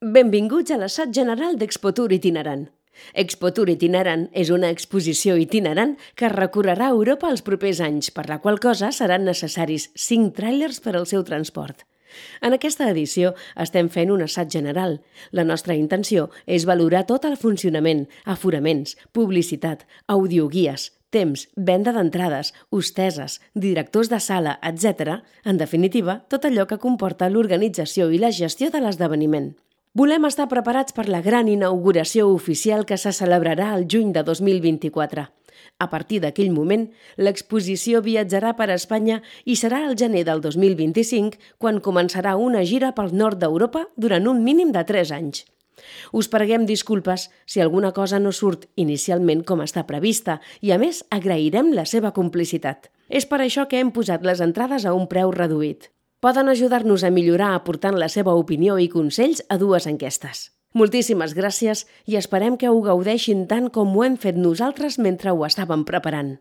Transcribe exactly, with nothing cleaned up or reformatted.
Benvinguts a l'assaig general d'Expotour Itinerant. Expotour Itinerant és una exposició itinerant que recorrerà Europa els propers anys, per la qual cosa seran necessaris cinc tràilers per al seu transport. En aquesta edició estem fent un assaig general. La nostra intenció és valorar tot el funcionament, aforaments, publicitat, audioguies, temps, venda d'entrades, hosteses, directors de sala, etcètera. En definitiva, tot allò que comporta l'organització i la gestió de l'esdeveniment. Volem estar preparats per la gran inauguració oficial que se celebrarà el juny de dos mil vint-i-quatre. A partir d'aquell moment, l'exposició viatjarà per Espanya i serà al gener del dos mil vint-i-cinc quan començarà una gira pel nord d'Europa durant un mínim de tres anys. Us preguem disculpes si alguna cosa no surt inicialment com està prevista i, a més, agrairem la seva complicitat. És per això que hem posat les entrades a un preu reduït. Poden ajudar-nos a millorar aportant la seva opinió i consells a dues enquestes. Moltíssimes gràcies i esperem que ho gaudeixin tant com ho hem fet nosaltres mentre ho estàvem preparant.